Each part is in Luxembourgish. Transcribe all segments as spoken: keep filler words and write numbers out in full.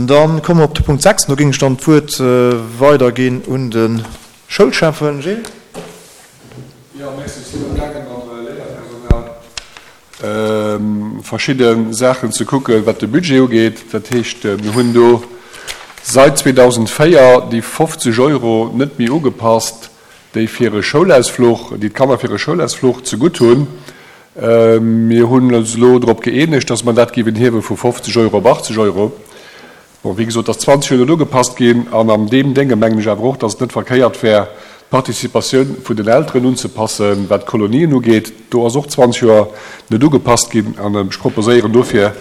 Dann komme mer op de Punkt sechs. Do géing ech dann d'Wuert weiderginn un de Schoulschäffen. Gilles? Jo, merci. Ech sinn amgaange mam Léierpersonal verschidde Saachen ze kucken, wat de Budget ugeet. Dat heescht, mir hunn do seit zweedausendvéier déi fofzeg Euro net méi ugepasst, déi fir e Schoulausfluch, déi d'Kanner fir e Schoulausfluch zegutt hunn. Mir hunn eis elo drop gëeenegt, dass mer dat géiwen hiewe vu fofzeg Euro op achtzeg Euro. Bon, wéi gesot, ass zwanzeg Joer net ugepasst ginn. An an deem Dénge mengen ech awer och, dass et net verkéiert wär, d'Participatioun vun den Elteren unzepassen, wat d'Kolonien ugeet. Do ass och zwanzeg Joer net ugepasst ginn. An ech proposéieren dofir,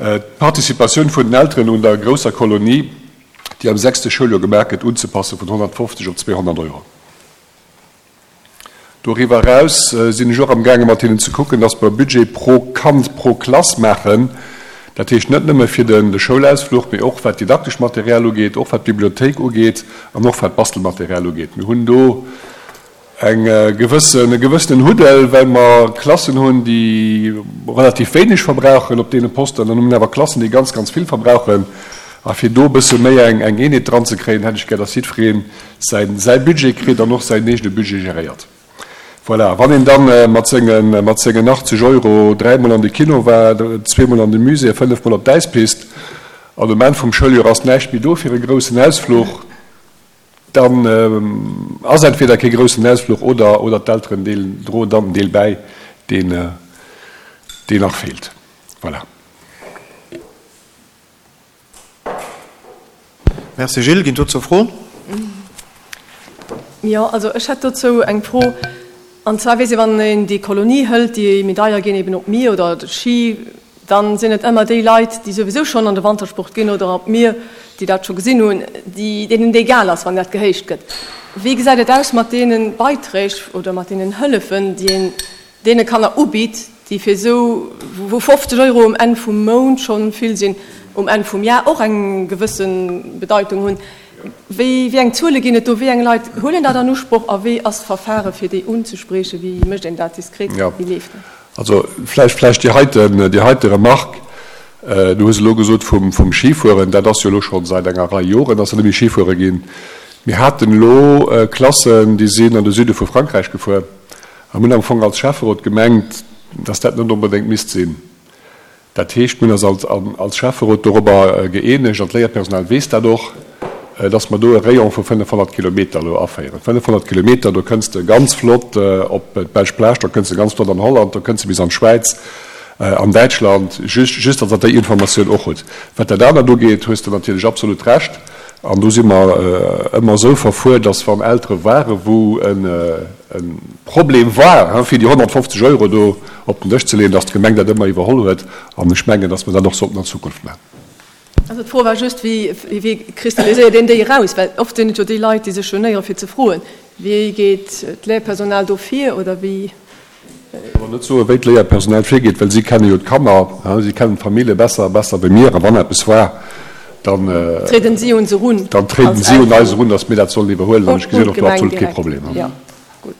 d'Participatioun vun den Elteren un der grousser Kolonie, déi am sechste Schouljoer gemaach gëtt, unzepasse vun honnertfofzeg op zweehonnert Euro. Doriwwer eraus sinn ech och amgaange mat hinnen ze kucken, dass mer e Budget pro Kand pro Klass maachen, dat heescht net nëmme fir de Schoulausfluch, mee och wat d'didaktesch Material ugeet, och wat d'Bibliothéik ugeet an och wat d'Bastelmaterial ugeet. Mir hunn do eng gewëssen, e gewëssenen Huddel, well mer Klassen hunn, déi relativ wéineg verbrauchen op deene Posten, an dann hu mer awer Klassen, déi ganz, ganz vill verbrauchen. A fir do e bësse méi eng Eenheet dran ze kréien, hätt ech gär, dass jiddweree säin, säi Budget kritt an och säin eegene Budget geréiert. Voilà, wann een da mat sengen, mat sengen achtzeg Euro dräimol an de Kino war, zweemol an de Musée a fënnefmol op d'Äispist, an um Enn vum Schouljoer ass näischt méi do fir e groussen Ausfluch, dann ass entweder kee groussen Ausfluch oder, oder d'Elteren deelen, droen dann den Deel bäi, deen, deen nach feelt. Voilà. Merci Gilles. Ginn dozou Froen? Jo, also ech hätt dozou eng Fro. An zwar weess ee, wann een déi Kolonie hëlt, déi méi deier ginn, eben op d'Mier oder de Schi, dann sinn et ëmmer déi Leit, déi souwisou schonn an de Wantersport ginn oder op d'Mier, déi dat scho gesinn hunn, déi, deenen et egal ass, wann dat gehéicht gëtt. Wéi gesäit et aus mat deene Beiträg oder mat deenen Hëllefen, déi een deene Kanner ubitt, déi fir esou, wou fofzeg Euro um Enn vum Mount scho vill sinn, um Enn vum Jar och eng gewësse Bedeitung hunn. Wéi, wéi eng Zuele ginn et do? Wéi eng Leit huelen dat an Usproch a wéi ass d'Verfahre fir déi unzespriechen? Wéi mécht een dat diskret? Wéi leeft dat? Also vläicht, vläicht déi heiten, déi heite Remarque. Du hues elo gesot vum, vum Schifueren, dat ass jo elo scho säit enger Rei Joren, dass se net méi Schifuere ginn. Mir haten elo Klassen, déi sinn an de Süde vu Frankräich gefuer a mir hunn am Fong als Schäfferot gemengt, dass dat net onbedéngt misst sinn. Dat heescht, mir hunn eis als, als Schäfferot dorobber gëeenegt, an d'Léierpersonal weess dat och, dass mer do e Rayon vu fënnefhonnert Kilometer elo aféieren. fënnefhonnert Kilometer, do kënns de ganz flott op d'belsch Plage, do kënns de ganz flott an Holland, do kënns de bis an d'Schwäiz, an Däitschland, just, just dass Der déi Informatioun och hutt. Wat dat anert ugeet, hues de natierlech absolut Recht. An do si mer ëmmer esou verfuer, dass wann Eltere ware wou e Problem war, fir déi honnertfofzeg Euro do op den Dësch ze leeën, dass d'Gemeng dat ëmmer iwwerholl huet. An ech mengen, dass mer dat och sollten an Zukunft maachen. Also d'Fro war just, wéi, wéi kristalliséiert een déi eraus? Well oft sinn et jo déi Leit, déi sech genéiere fir ze froen. Wéi geet d'Léierpersonal do vir oder wéi? Ech kann net soen, wéi d'Léierpersonal virgeet, well si kenne jo d'Kanner, si kennen d'Famillje besser, besser wéi mir. A wann eppes war, dann trieden si un se erun, dann trieden si un eis erun, datt mir dat sollen iwwerhuelen. An ech gesinn och do absolut kee Problem,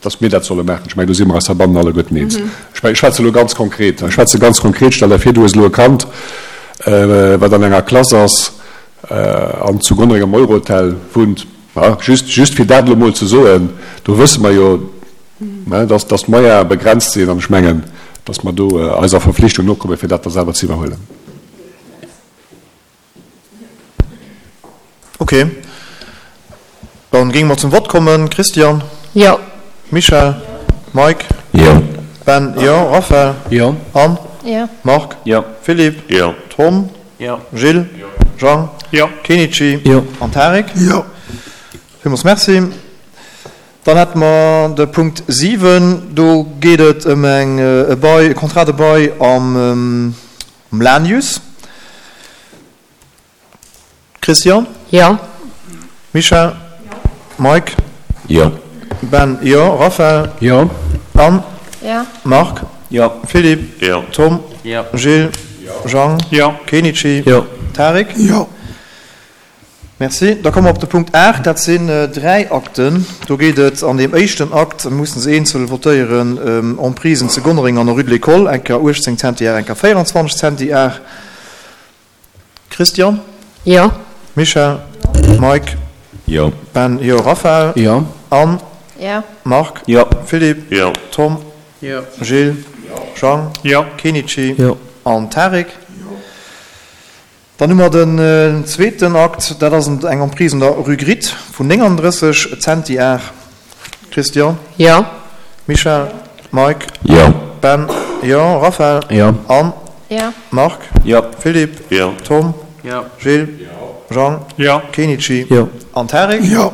datt mir dat solle maachen. Ech mengen, do si mer eis heibannen alleguerten eens. Ech mengen, ech schwätze elo ganz konkret. Ech schwätze ganz konkret. Stell der vir, du hues elo e Kand, wat an enger Klass ass an zu Gonnereng am Eurohotel wunnt. Just, just fir dat elo emol ze soen, do wësse mer jo, dass, dass d'Moyene begrenzt sinn an ech mengen, dass mer do eiser Verflichtung nokommen, fir dat da selwer ze iwwerhuelen. Okay, dann géinge mer zum Vott kommen. Christian? Jo. Michèle? Mike? Jo. Ben? Jo. Raphaël? Jo. Anne? Jo. Marc? Jo. Philippe? Jo. Tom? Jo. Gilles? Jo. Jang? Jo. Kenichi? Jo. An Tarik? Jo. Villmools merci. Dann hätte mer de Punkt siwen. Do geet et ëm eng, e Bail, e Contrat de bail am Lanius. Christian? Jo. Michèle? Jo. Mike? Jo. Ben? Jo. Raphaël? Jo. Anne? Jo. Marc? Jo. Philippe? Jo. Tom? Jo. Gilles? Jo. Jang? Jo. Kenichi? Jo. Tarik? Jo. Merci. Da komme mer op de Punkt aacht. Dat sinn dräi Akten. Do geet et an deem éischten Akt, mir mussen se eenzel votéieren, ëm Emprisen zu Gonnereng an der Rue de l'École, eng Kéier uechtzéng Zentiar, eng Kéier véieranzwanzeg Zentiar. Christian? Jo. Michel? Mike? Jo. Ben? Jo. Raphaël? Jo. Anne? Jo. Marc? Jo. Philippe? Jo. Tom? Jo. Gilles? Jean? Jo. Kenichi? Jo. An Tarik? Dann hu mer den zweeten Akt, dat ass eng Emprise un der Rue Gritt vun nénganddrësseg Zentiar. Christian? Jo. Michel? Mike? Jo. Ben? Jo. Raphaël? Jo. Anne? Jo. Marc? Jo. Philippe? Jo. Tom? Jo. Gilles? Jean? Jo. Kenichi? Jo. An Tarik? Jo.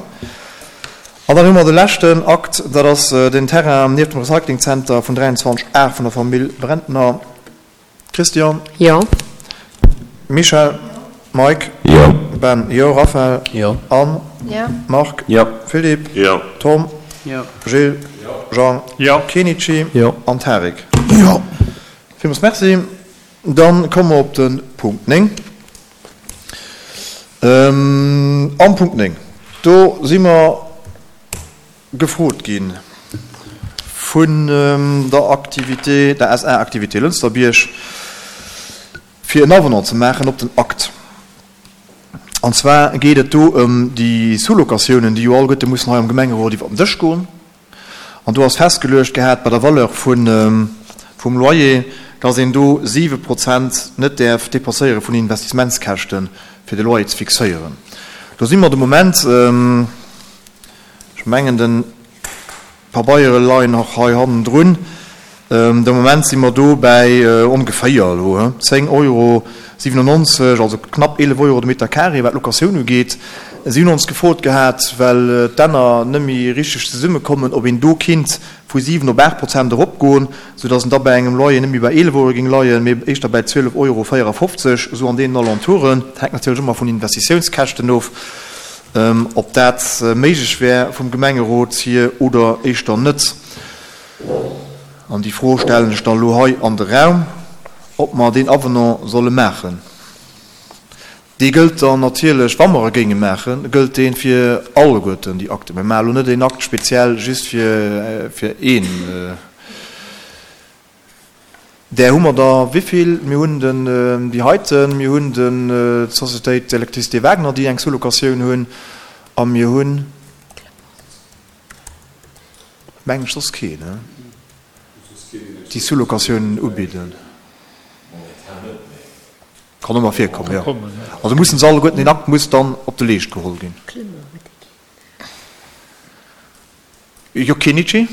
An dann hu mer de leschten Akt, dat ass den Terrain nieft dem Recyclingzenter vun dräianzwanzeg A vun der Famill Brentner. Christian? Jo. Michel? Mike? Jo. Ben? Jo. Raphaël? Jo. Anne? Jo. Marc? Jo. Philippe? Jo. Tom? Jo. Gilles? Jean? Jo. Kenichi? Jo. An Tarik? Jo. Villmools Merci. Dann komme mer op de Punkt néng. Am Punkt néng, do si mer gefrot gi vun der Activité, der S A Activité Lënsterbierg, fir en Avenant ze maachen op den Akt. An zwar geet et do ëm déi Sous-locatiounen, déi jo alleguerte mussen hei am Gemengerot iwwer den Dësch goen. An do ass festgeluecht gehat bei der Valeur vun, vum Loyer, dass een do siwe Prozent net däerf dépasséiere vun den Investissementskäschten, fir de Loyer ze fixéieren. Do si mer de Moment, ech mengen, de Pabeiere leien och hei hannendrun, de Moment si mer do bäi ongeféier elo zéng Euro siwenennonzeg, also knapp eelef Euro de Meter carré, wat d'Locatioun ugeet. Si hunn ons gefrot gehat, well d'Enner net méi richteg zesummekommen, ob een do kinnt vu siwen op aacht Prozent eropgoen, soudass en da bei engem Loyer net méi bei eelef Euro géing leien, mee éischter bäi zwielef Euro véierafofzeg, esou an deenen Alentouren. Dat hänkt natierlech ëmmer vun den Investitiounskäschten of, ob dat méiglech wär vum Gemengerot hier oder éischter net. An déi Fro stellen ech da elo hei an de Raum, ob mer deen Avenant solle maachen. Dee gëllt dann natierlech, wa mer e géinge maachen, gëllt dee fir alleguerten déi Akten. Mir maache elo net een Akt speziell just fir, fir een. Där hu mer der wéivill? Mir hunn den, déi heiten, mir hunn den, d'Sociétéit Electricité Wagner, déi eng Sous-locatioun hunn, a mir hunn, mengen ech, soss keen, déi Sous-locatiounen ubidden. Kann ëmmer virkommen, jo. Also mussen se alleguerten, deen Akt muss dann op de Leescht geholl ginn. Jo, Kenichi?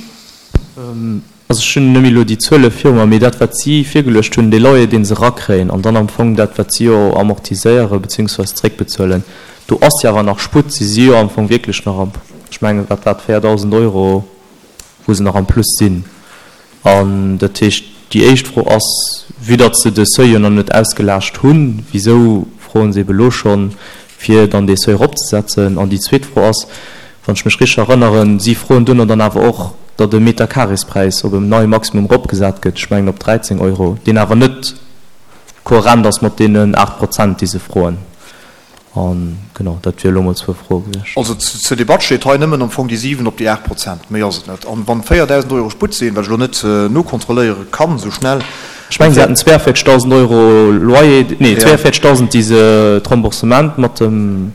Also ech hunn net méi elo déi Zuele viru mer, mee dat, wat si virgeluecht hunn, dee Loyer, dee se erakréien, an dann am Fong dat, wat si jo amortiséiere beziehungsweise zréckbezuelen, do ass jo awer nach Sputt. Si si jo am Fong wierklech nach am, ech mengen, wat war et, véierdausend Euro, wou se nach am Plus sinn. An dat heescht, déi éischt Fro ass, vue datt se de Seuil jo nach net ausgelaascht hunn, wisou froen se ebe elo schonn, fir dann dee Seuil eropzesetzen? An déi zweet Fro ass, wann ech mech richteg erënneren, si froen duerno dann awer och, datt e Meterkarespräis op en neie Maximum eropgesat gëtt, ech mengen op dräizéng Euro, deen awer net kohärent ass mat deenen aacht Prozent, déi se froen. An genau, dat wier elo mol zwou Froe gewiescht. Also zur Debatt steet hei nëmmen am Fong déi siwen op déi aacht Prozent, méi ass et net. An wann véierdausend Euro Sputt sinn, wat ech elo net nokontrolléiere kann esou schnell. Ech mengen, se haten zweiundvierzigtausend Euro Loyer, nee, zweiundvierzigtausend, déi se d'Remboursement mat dem,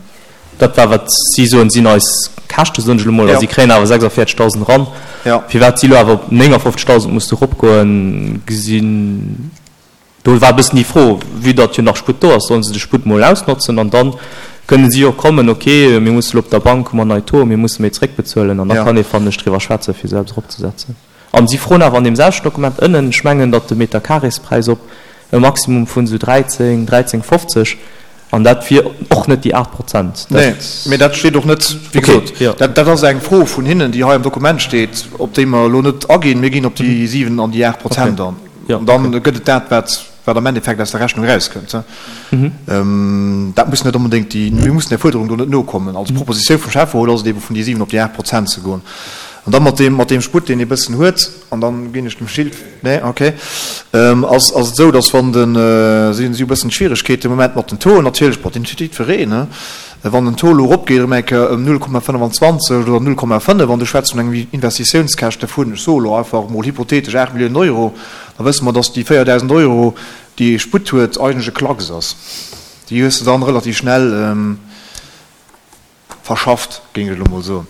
dat war wat si soen, sinn eis Käschte, soen ech elo mol, a si kréien awer sechsundvierzigtausend eran. Firwat si elo awer op néngundfünfzigtausend musse eropgoen, gesinn. Do war e bëssen déi Fro, vue datt jo nach Sputt do ass, sollen se de Sputt mol ausnotzen an dann kënnen si jo kommen, okay, mir musse elo op der Bank, hu mer nei Taux, mir musse méi zréckbezuelen an da kann ee, fannen ech, driwwer schwätzen, fir se eppes eropzesetzen. An si froen awer an deem selwechten Dokument ënnen, ech mengen, datt de Meterkarespräis op e Maximum vun esou dräizéng, dräizéng fofzeg, an dat wier och net déi aacht Prozent. Nee, mee dat steet och net, wéi Okay, gesot, jo. dat, dat ass eng Fro vun hinnen, déi hei am Dokument steet, op déi mer elo net aginn. Mir ginn op déi siwen an déi aacht Prozent Okay. an. Ja, An dann okay. gëtt et dat, wat, wat am Endeffekt aus der Rechnung erauskënnt. Mhm. Dat muss net onbedéngt déi, mir mussen der Fuerderung do net nokommen. Also Mhm. d'Propositioun vum Schäfferot ass et ebe vun déi siwen op déi aacht Prozent ze goen. An dann mat deem, mat deem Sputt, deen ee bëssen huet, an dann ginn ech dem Gilles, nee, okay, ass, ass et esou, dass wann den, si hunn e bëssen Schwieregkeeten de Moment mat den Tauxen natierlech, bon, deen huet jiddwereen, ne, wann den Taux elo eropgeet erëm eng Kéier ëm null Komma fënnwanzwanzeg oder null Komma fënnef, an du schwätz vun engem Investitiounskäschte vun, ech soe elo einfach emol hypothetesch aacht Milliounen Euro, da wësse mer, dass déi véierdausend Euro, déi ee Sputt huet, eigentlech e Klacks ass. Déi hues de dann relativ schnell verschafft, géing ech elo mol soen.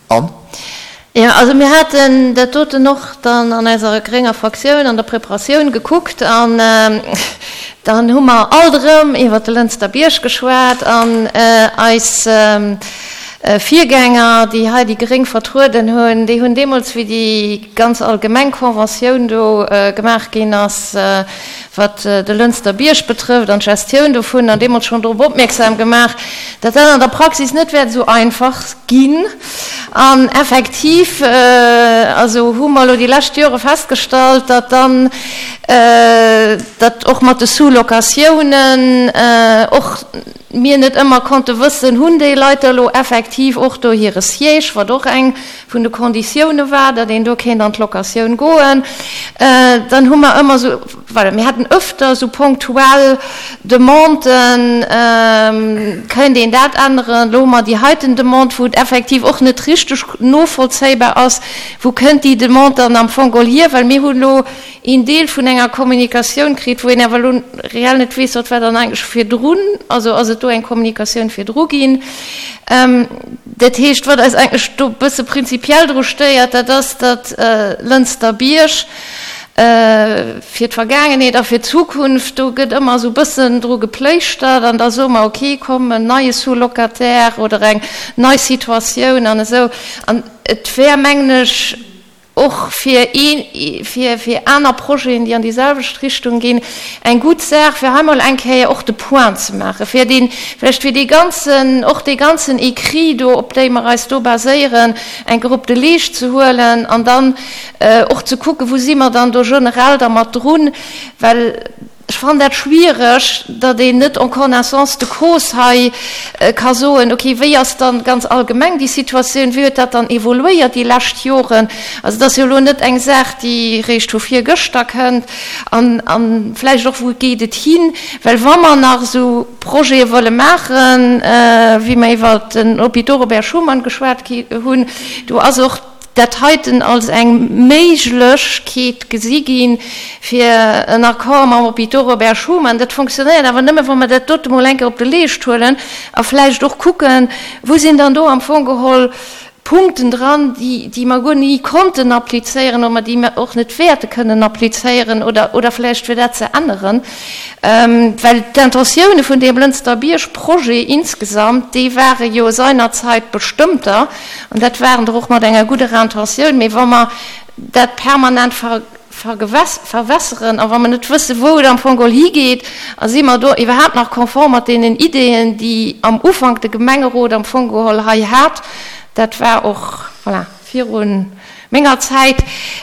Anne? Jo, also mir haten dat doten och dann an eiser grénger Fraktioun an der Preparatioun gekuckt an dann hu mer alt erëm iwwert de Lënster Bierg geschwat an eis Virgänger, déi hei déi Gréng vertrueden hunn, déi hunn deemools, wéi déi ganz allgemeng Conventioun do gemaach ginn ass, wat de Lënster Bierg betrëfft an d'Gestioun dovunner, deemools schonn drop opmierksam gemaach, datt dat an der Praxis net wäert esou einfach ginn. An effektiv, also hu mer elo déi lescht Jore festgestallt, datt dann, datt och mat de Sous-locatiounen och mir net ëmmer konnte wëssen, hunn déi Leit da elo effektiv och do hire Siège, wat och eng vun de Konditioune war, datt een do kéint an d'Locatioun goen. Dann hu mer ëmmer esou, voilà, mir haten öfter esou ponktuell Demanden, kéint een dat änneren. Elo hu mer déi heiten Demande, wou et effektiv och net richteg novollzéibar ass, wou kënnt déi Demande dann am Fong geholl hier, well mir hunn elo een Deel vun enger Kommunikatioun kritt, wou een awer elo reell net weess, wat war dann eigentlech virdrun, also ass et do eng Kommunikatioun virdru ginn. Dat heescht, wat eis eigentlech do e bësse prinzipiell dru stéiert, dat ass, datt Lënster Bierg fir d'Vergaangenheet a fir d'Zukunft, do gëtt ëmmer esou e bëssen dru gepléischtert an da soe mer, okay, komm, en neie Sous-locataire oder eng nei Situatioun an esou. An et wär, mengen ech, och fir ee, fir, fir aner Projeten, déi an déi selwecht Richtung ginn, eng gutt Saach, fir hei mol eng Kéier och de Point ze maachen, fir deen, vläicht fir dee ganzen, och dee ganzen Écrit do, op déi mer eis do baséieren, eng Kéier op de Leescht ze huelen an dann och ze kucken, wou si mer dann do generell da mat drun, well ech fannen dat schwiereg, datt een net en connaissance de cause hei ka soen, okay, wéi ass dann ganz allgemeng déi Situatioun, wéi huet dat dann evoluéiert déi lescht Joren. Also et ass jo elo net eng Saach, déi réischt vu virgëschter kënnt. An, a vläicht och, wou geet et hin? Well wa mer nach esou Projete wëlle maachen, wéi mer iwwert den Hôpital Robert Schuman geschwat hunn, do ass och dat heiten als eng Méiglechkeet gesi ginn, fir en Accord mam Hôpital Robert Schuman. Dat fonctionnéiert awer nëmme, wa mer dat dote mol eng Kéier op de Leescht huelen a vläicht och kucken, wou sinn dann do am Fong geholl Punkten dran, déi, déi mer guer ni konnten applizéieren oder déi mer och net wäerte kënnen applizéieren oder, oder vläicht fir dat ze änneren. Well d'Intentioune vun deem Lënster Bierg-Projet insgesamt, déi ware jo seinerzeit bestëmmter. An dat waren der och mat enger gudder Intentioun. Mee wa mer dat permanent verwässeren a wa mer net wëssen, wou et am Fong geholl higeet, a si mer do iwwerhaapt nach konform mat deenen Ideeën, déi am Ufank de Gemengerot am Fong geholl hei hat, dat war och, voilà, viru menger Zäit.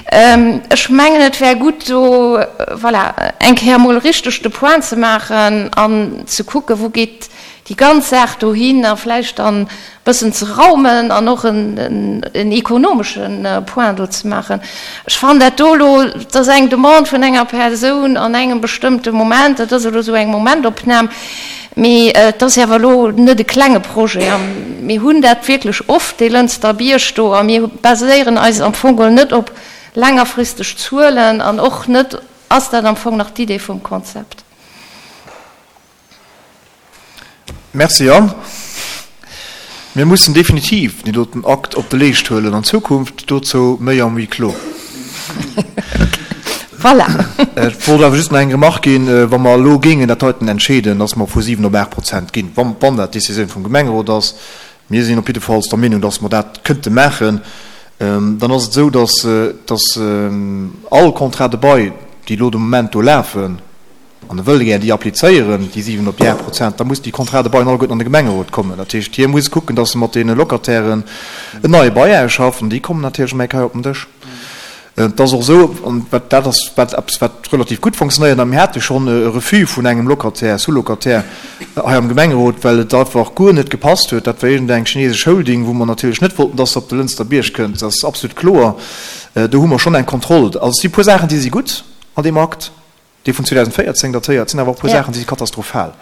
Ech mengen, et wär gutt, do, voilà, eng Kéier emol richteg de Point ze maachen an ze kucken, wou geet déi ganz Saach dohin a vläicht dann e bëssen ze raumen an och en ekonomesche Point do ze maachen. Ech fannen dat do elo, dat ass eng Demande vun enger Persoun an engem bestëmmte Moment, dat ass elo esou eng Momentopnam, mee et ass awer elo net e klenge Projet a mir hunn dat wierklech oft, dee Lënster Bierg do, a mir baséieren eis am Fong geholl net op längerfristeg Zuelen an och net, ass dat am Fong nach d'Idee vum Konzept? Merci Anne. Mir mussen definitiv deen doten Akt op de Leescht huelen an Zukunft. Dozou méi am Huis clos. Voilà. Ech wollt awer just nach eng Remarque ginn, Wa mer elo géingen dat heiten entscheeden, dass mer vu siwen op aacht Prozent ginn, wann, wann dat d'Décisioun vum Gemengerot ass, mir sinn op jiddefalls der Meenung, dass mer dat kënnte maachen, dann ass et esou, dass, dass all Contrats de bail, déi elo de Moment do lafen, An e wëll gär déi applizéieren, déi siwen op déi aacht Prozent, da mussen déi Contrats de bail alleguerten an de Gemengerot kommen. Dat heescht, hie muss kucken, datt e mat deene Locatairen en neie Bail ausschafft, an déi kommen natierlech ëm eng Kéier op den Dësch. Et ass och esou, an dat ass wat eppes, wat relativ gutt fonctionnéiert, a mir hate schonn e Refus vun engem Locataire, Sous-locataire hei am Gemengerot, well et einfach guer net gepasst huet. Dat war iergendeng chinesesch Holding, wou mer natierlech net wollten, datt se op de Lënster Bierg kënnt. Dat ass absolut kloer. Do hu mer schonn eng Kontroll. Also et si puer Saachen, déi si gutt an deem Akt. Dee vun zweedausendvéierzéng datéiert, sinn awer och e puer Saachen, déi si katastrophal.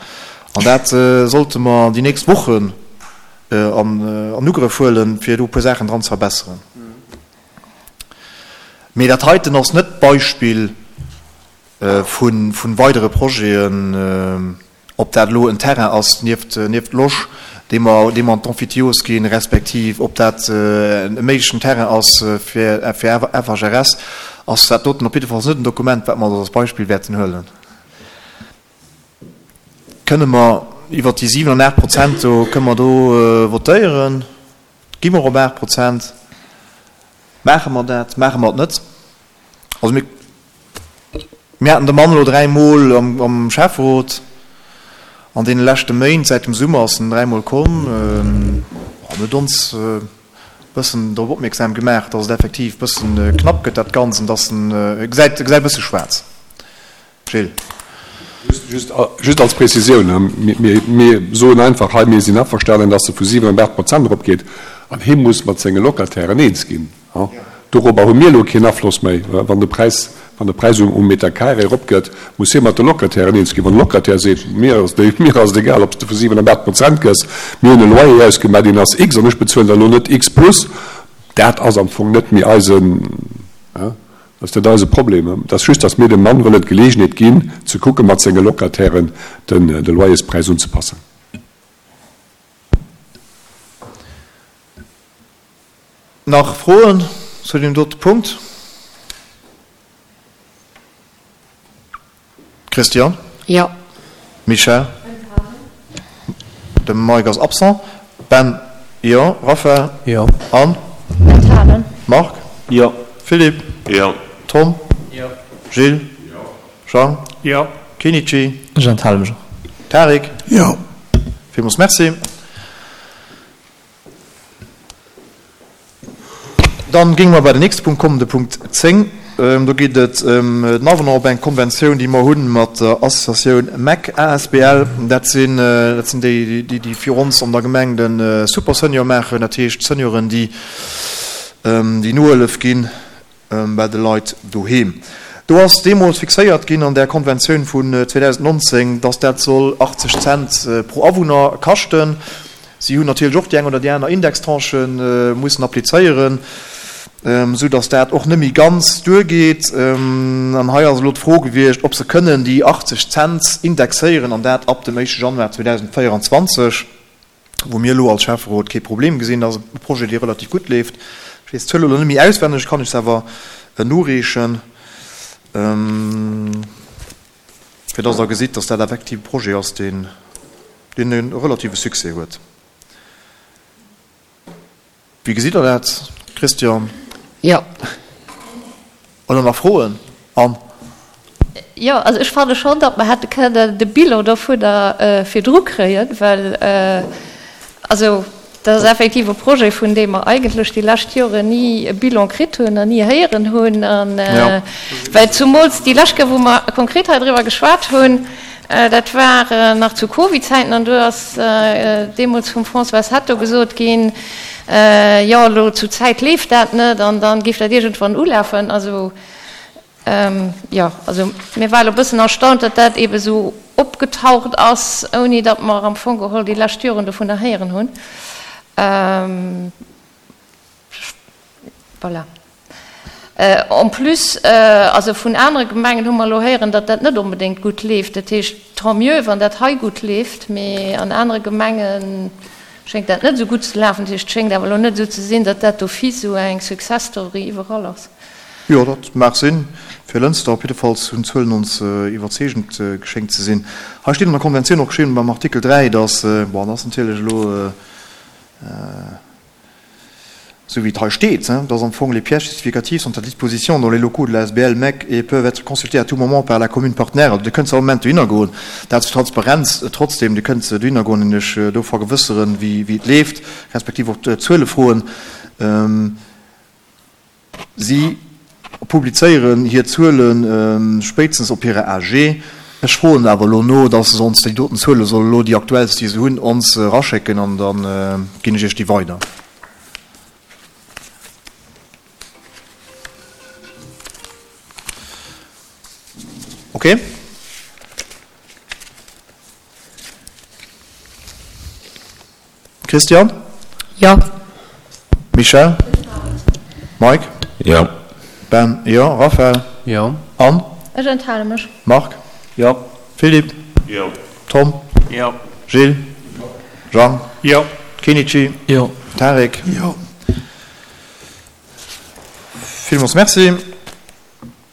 An dat sollte mer déi nächst Wochen an Ugrëff huelen, fir do e puer Saachen dran ze verbesseren. Mee dat heiten ass net d'Beispill, vu weidere Projeten, ob dat elo en Terrain ass nieft nieft Losch, dee mer dee mer an d'Emphytiose ginn, respektiv ob dat e méiglechen Terrain ass fir fir F H R S, ass dat doten op jiddefalls net en Dokument, wat mer als Beispill wäerten huelen. Kënne mer iwwert déi siwen an aacht Prozent do, kënne mer do votéieren? Gi mer op aacht Prozent? Maache mer dat? Maache mer et net? Also mir, mir haten de Mann elo dräi Mol am, am Schäfferot an deene leschte Méint, säit dem Summer ass en dräi Mol komm, an huet ons e bëssen drop opmierksam gemaach, dass et effektiv e bëssen knapp gëtt dat Ganzt an dass en, e gesäit, e gesäit e bësse schwaarz. Gilles. Just, just als Prezisioun, mir, mir soen einfach hei, mir sinn averstanen, dass e vu siwen op aacht Prozent eropgeet an hie muss mat senge Locatairen eens ginn. Dorobber hu mir elo keen Afloss méi. Wann de Präis, wann de Präis um Meter carré eropgëtt, muss hie mat de Locatairen eens ginn. Wann de Locataire seet, mir ass et, mir ass et egal, ob s de vu siwen op aacht Prozent gëss, mir hunn e Loyer ausgemaach, deen ass X an ech bezuelen der elo net X plus, dat ass am Fong net méi eisen, dat ass net eise Problem. Et ass just, datt mir dem Mann wëllen d'Geleegenheet ginn, ze kucke mat senge Locatairen den, de Loyerspräis unzepassen. Nach Froen zu deem dote Punkt? Christian? Jo. Michèle? De Mike ass absent. Ben? Jo. Raphaël? Jo. Anne? Enthalen. Marc? Jo. Philippe? Jo. Tom? Jo. Gilles? Jo. Jean? Jo. Kenichi? Ech enthale mech och. Tarik? Jo. Villmools Merci. Dann géinge mer bei den nächste Punkt kommen, de Punkt zéng. Do geet et ëm den Avenant op eng Konventioun, déi mer hunn mat der Associatioun mec A S B L. Dat sinn, dat sinn déi, déi, déi fir ons an der Gemeng de Super Senior maachen, dat heescht Senioren, déi, déi Nohëllef ginn bei de Leit doheem. Do ass deemools fixéiert ginn an där Konventioun vun zweedausendnonzéng, dass dat soll achtzeg Cent pro Awunner kaschten. Si hunn natierlech och déi eng oder déi aner Indextranche mussen applizéieren, esou dass dat och net méi ganz duergeet. An hei ass elo d'Fro gewiescht, ob se kënnen déi achtzeg Cent indexéieren, an dat ab dem éischte Januar zweedausendvéieranzwanzeg, wou mir elo als Schäfferot kee Problem gesinn. Dat ass e Projet, dee relativ gutt leeft. Ech weess d'Zuel elo net méi auswenneg, kann ech se awer noreechen, fir dass Der gesitt, dass dat effektiv e Projet ass, deen e relative Succès huet. Wéi gesitt Der dat, Christian? Jo. Oder nach Froen? Anne? Jo, also ech fanne schonn, datt mer hätte kënnen de Bilan dovunner virdru kréien, well also dat ass effektiv e Projet, vun deem mer eigentlech déi lescht Joren ni e Bilan kritt hunn an ni héieren hunn. An well zumools déi lescht Kéier, wou mer konkret hei driwwer geschwat hunn, dat war nach zu Covid-Zäiten, an do ass deemools vum Françoise Hetto gesot ginn, jo elo zur Zäit leeft dat net an da géif dat iergendwann ulafen. Also jo, also mir ware elo e bëssen erstaunt, datt dat eebe sou opgetaucht ass, ouni datt mer am Fong geholl déi lescht Joren dovunner héieren hunn. Voilà. En plus, also vun anere Gemengen hu mer elo héieren, datt dat net onbedéngt gutt leeft. Dat heescht, tant mieux, wann dat hei gutt leeft, mee an anere Gemenge schéngt dat net esou gutt ze lafen. Dat heescht, et schéngt awer elo net esou ze sinn, datt dat d'office esou eng Success Story iwwerall ass. Jo, dat mag sinn. Fir Lënster op jiddefalls hunn d'Zuelen ons iwwerzeegend geschéngt ze sinn. Hei steet an der Konventioun och geschriwwen beim Artikel dräi, dass, bon, dat ass natierlech elo esou wéi et hei steet, dass am Fong les pièces justificatives sont à disposition dans les locaux de l'A S B L mec et peuvent être consultées à tout moment par la commune partenaire. Also Dir kënnt zu all Moment dohinner goen. Dat zur Transparenz. Trotzdem, Dir kënnt dohinner goen an Iech do vergewësseren, wéi et leeft, respektiv och d'Zuele froen. Si publizéieren hir Zuele spéitstens op hirer A G. Ech froen awer elo no, dass se ons déi doten Zuele solle elo, déi aktuellst, déi se hunn, ons eraschécken an da ginn ech Iech déi weider. Okay? Christian? Jo. Michèle? Mike? Jo. Ben? Jo. Raphaël? Jo. Anne? Ech enthale mech. Marc? Jo. Philippe? Jo. Tom? Jo. Gilles? Jo. Jean? Jo. Kenichi? Jo. Tarik? Jo. Villmools Merci.